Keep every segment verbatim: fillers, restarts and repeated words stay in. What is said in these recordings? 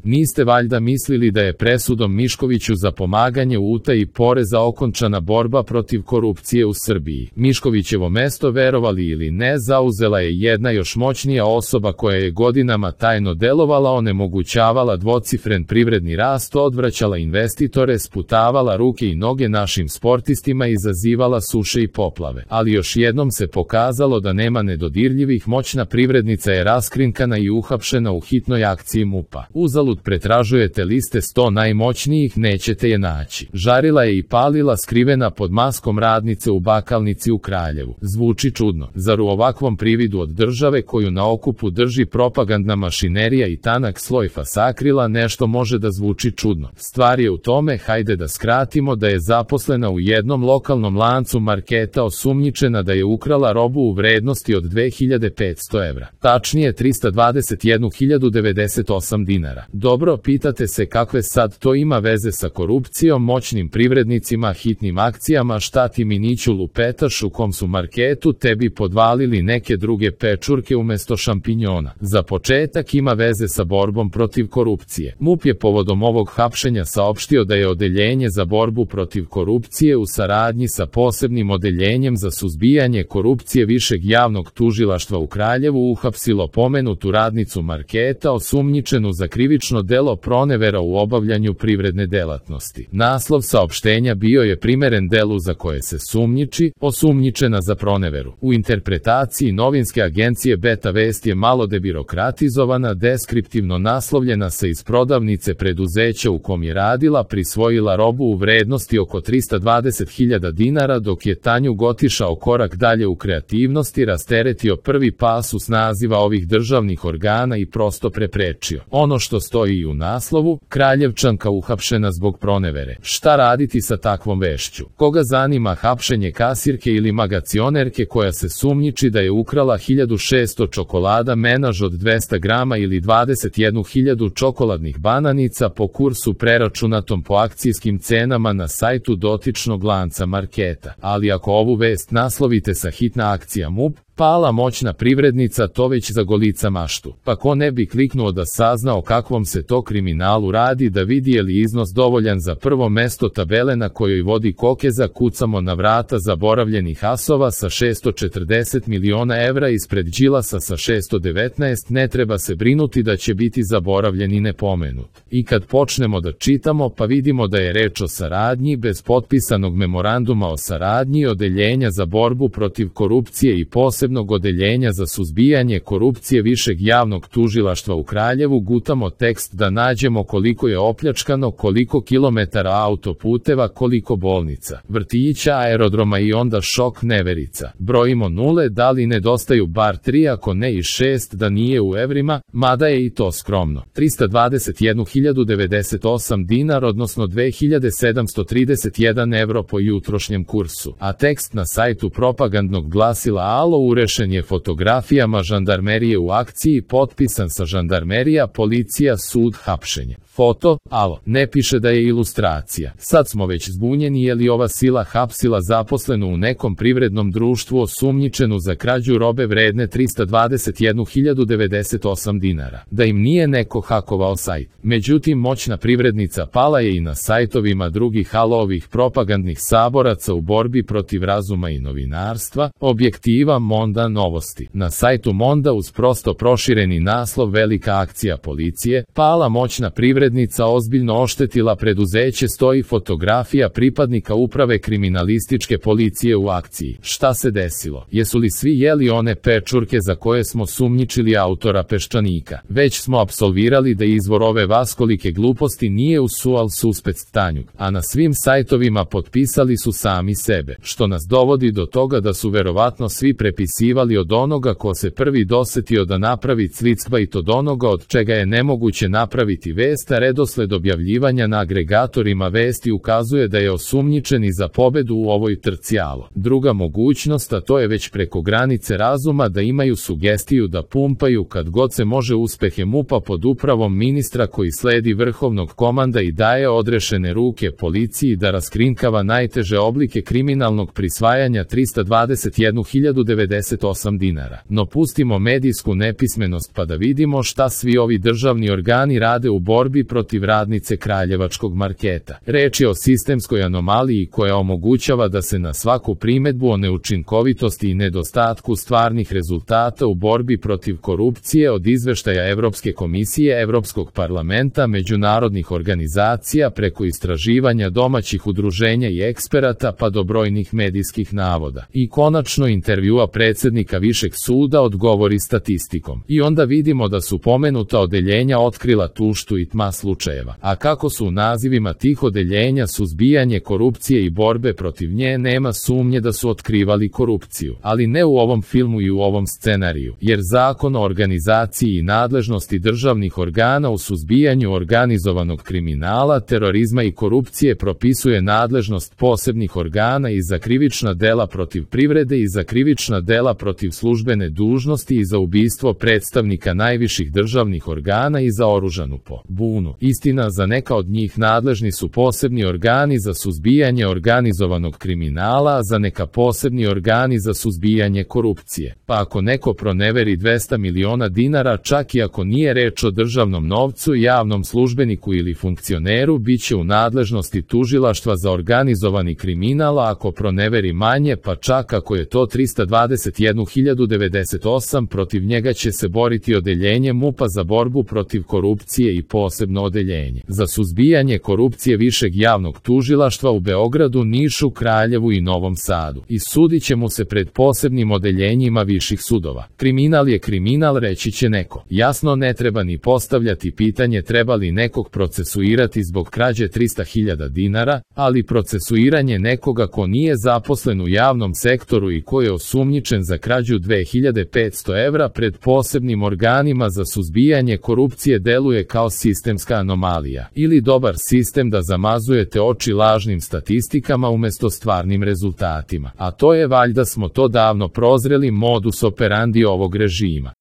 Niste valjda mislili da je presudom Miškoviću za pomaganje u utaji poreza okončana borba protiv korupcije u Srbiji. Miškovićevo mesto, verovali ili ne, zauzela je jedna još moćnija osoba koja je godinama tajno delovala, onemogućavala dvocifren privredni rast, odvraćala investitore, sputavala ruke i noge našim sportistima i izazivala suše i poplave. Ali još jednom se pokazalo da nema nedodirljivih, moćna privrednica je raskrinkana i uhapšena u hitnoj akciji MUP-a. Uzalud pretražujete liste sto najmoćnijih, nećete je naći. Žarila je i palila skrivena pod maskom radnice u bakalnici u Kraljevu. Zvuči čudno. Zar u ovakvom prividu od države koju na okupu drži propagandna mašinerija i tanak sloj fasakrila nešto može da zvuči čudno? Stvar je u tome, hajde da skratimo, da je zaposlena u jednom lokalnom lancu marketa osumnjičena da je ukrala robu u vrednosti od dve hiljade petsto evra. Tačnije trista dvadeset jednu hiljadu devedeset osam dinara. Dobro, pitate se kakve sad to ima veze sa korupcijom, moćnim privrednicima, hitnim akcijama, šta ti Miniću lupetaš, u kom su marketu tebi podvalili neke druge pečurke umesto šampinjona. Za početak ima veze sa borbom protiv korupcije. MUP je povodom ovog hapšenja saopštio da je Odeljenje za borbu protiv korupcije u saradnji sa posebnim odeljenjem za suzbijanje korupcije Višeg javnog tužilaštva u Kraljevu uhapsilo pomenutu radnicu marketa osumnjičenu za krivično delo pronevera u obavljanju privredne delatnosti. Naslov saopštenja bio je primeren delu za koje se sumnjiči, osumnjičena za proneveru. U interpretaciji novinske agencije Beta Vest je malo debirokratizovana, deskriptivno naslovljena sa iz prodavnice preduzeća u kom je radila, prisvojila robu u vrednosti oko trista dvadeset hiljada dinara, dok je Tanju otišao korak dalje u kreativnosti, rasteretio prvi pasus naziva ovih državnih organa i prosto preprečio ono što stoji i u naslovu: Kraljevčanka uhapšena zbog pronevere. Šta raditi sa takvom vešću? Koga zanima hapšenje kasirke ili magacionerke koja se sumnjiči da je ukrala hiljadu šesto čokolada menaž od dvesta grama ili dvadeset jednu hiljadu čokoladnih bananica po kursu preračunatom po akcijskim cenama na sajtu dotičnog lanca marketa? Ali ako ovu vest naslovite sa hitna akcija MUP, pala moćna privrednica, to već zagolica maštu. Pa ko ne bi kliknuo da sazna o kakvom se to kriminalu radi, da vidi je li iznos dovoljan za prvo mesto tabele na kojoj vodi Kokeza, kucamo na vrata zaboravljenih asova sa šesto četrdeset miliona evra ispred Đilasa sa šesto devetnaest, ne treba se brinuti da će biti zaboravljen i nepomenut. I kad počnemo da čitamo, pa vidimo da je reč o saradnji bez potpisanog memoranduma o saradnji Odeljenja za borbu protiv korupcije i posebno Odeljenja za suzbijanje korupcije Višeg javnog tužilaštva u Kraljevu, gutamo tekst da nađemo koliko je opljačkano, koliko kilometara autoputeva, koliko bolnica, vrtića, aerodroma i onda šok, neverica. Brojimo nule, da li nedostaju bar tri, ako ne i šest, da nije u evrima, mada je i to skromno. trista dvadeset jednu hiljadu devedeset osam dinar, odnosno dve hiljade sedamsto trideset jedan evro po jutrošnjem kursu. A tekst na sajtu propagandnog glasila Alo urešen je fotografijama žandarmerije u akciji, potpisan sa žandarmerija, policija, sud, hapšenje. Foto, Alo, ne piše da je ilustracija. Sad smo već zbunjeni, je li ova sila hapsila zaposlenu u nekom privrednom društvu osumnjičenu za krađu robe vredne trista dvadeset jednu hiljadu devedeset osam dinara. Da im nije neko hakovao sajt. Međutim, moćna privrednica pala je i na sajtovima drugih Alovih propagandnih saboraca u borbi protiv razuma i novinarstva, Objektiva, Monda, Novosti. Na sajtu Monda uz prosto prošireni naslov Velika akcija policije, pala moćna privrednica ozbiljno oštetila preduzeće, stoji fotografija pripadnika uprave kriminalističke policije u akciji. Šta se desilo? Jesu li svi jeli one pečurke za koje smo sumnjičili autora Peščanika? Već smo apsolvirali da izvor ove vaskolike gluposti nije u sual suspect Tanjug, a na svim sajtovima potpisali su sami sebe, što nas dovodi do toga da su verovatno svi prepisivali od onoga ko se prvi dosetio da napravi clickbait, od onoga od čega je nemoguće napraviti vest, a redosled objavljivanja na agregatorima vesti ukazuje da je osumnjičeni za pobedu u ovoj trci Alo. Druga mogućnost, a to je već preko granice razuma, da imaju sugestiju da pumpaju kad god se može uspehe MUP-a pod upravom ministra koji sledi vrhovnog komanda i daje odrešene ruke policiji da raskrinkava najteže oblike kriminalnog prisvajanja trista dvadeset jednu hiljadu devedeset devedeset osam dinara. No pustimo medijsku nepismenost pa da vidimo šta svi ovi državni organi rade u borbi protiv radnice kraljevačkog marketa. Reč je o sistemskoj anomaliji koja omogućava da se na svaku primedbu o neučinkovitosti i nedostatku stvarnih rezultata u borbi protiv korupcije od izveštaja Evropske komisije, Evropskog parlamenta, međunarodnih organizacija preko istraživanja domaćih udruženja i eksperata pa do brojnih medijskih navoda. I konačno intervjua predsednika Višeg suda odgovori statistikom. I onda vidimo da su pomenuta odeljenja otkrila tuštu i tma slučajeva. A kako su u nazivima tih odeljenja suzbijanje korupcije i borbe protiv nje, nema sumnje da su otkrivali korupciju. Ali ne u ovom filmu i u ovom scenariju, jer Zakon o organizaciji i nadležnosti državnih organa u suzbijanju organizovanog kriminala, terorizma i korupcije propisuje nadležnost posebnih organa i za krivična dela protiv privrede i za krivična dela protiv službene dužnosti i za ubistvo predstavnika najviših državnih organa i za oružanu pobunu. Istina, za neka od njih nadležni su posebni organi za suzbijanje organizovanog kriminala, a za neka posebni organi za suzbijanje korupcije. Pa ako neko proneveri dvesta miliona dinara, čak i ako nije reč o državnom novcu, javnom službeniku ili funkcioneru, bit će u nadležnosti tužilaštva za organizovani kriminal, a ako proneveri manje, pa čak ako je to trista dvadeset jednu hiljadu devedeset osam, protiv njega će se boriti odeljenje MUP-a za borbu protiv korupcije i posebno odeljenje za suzbijanje korupcije Višeg javnog tužilaštva u Beogradu, Nišu, Kraljevu i Novom Sadu. I sudit će mu se pred posebnim odeljenjima viših sudova. Kriminal je kriminal, reći će neko. Jasno, ne treba ni postavljati pitanje treba li nekog procesuirati zbog krađe trista hiljada dinara, ali procesuiranje nekoga ko nije zaposlen u javnom sektoru i ko je osumnjičen za krađu dve hiljade petsto evra pred posebnim organima za suzbijanje korupcije deluje kao sistemska anomalija ili dobar sistem da zamazujete oči lažnim statistikama umesto stvarnim rezultatima. A to je, valjda smo to davno prozreli, modus operandi ovog režima.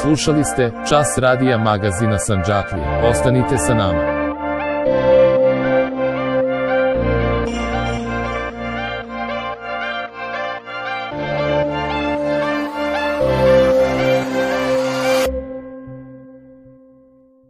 Slušali ste Čas radija magazina Sandžaklija. Ostanite sa nama.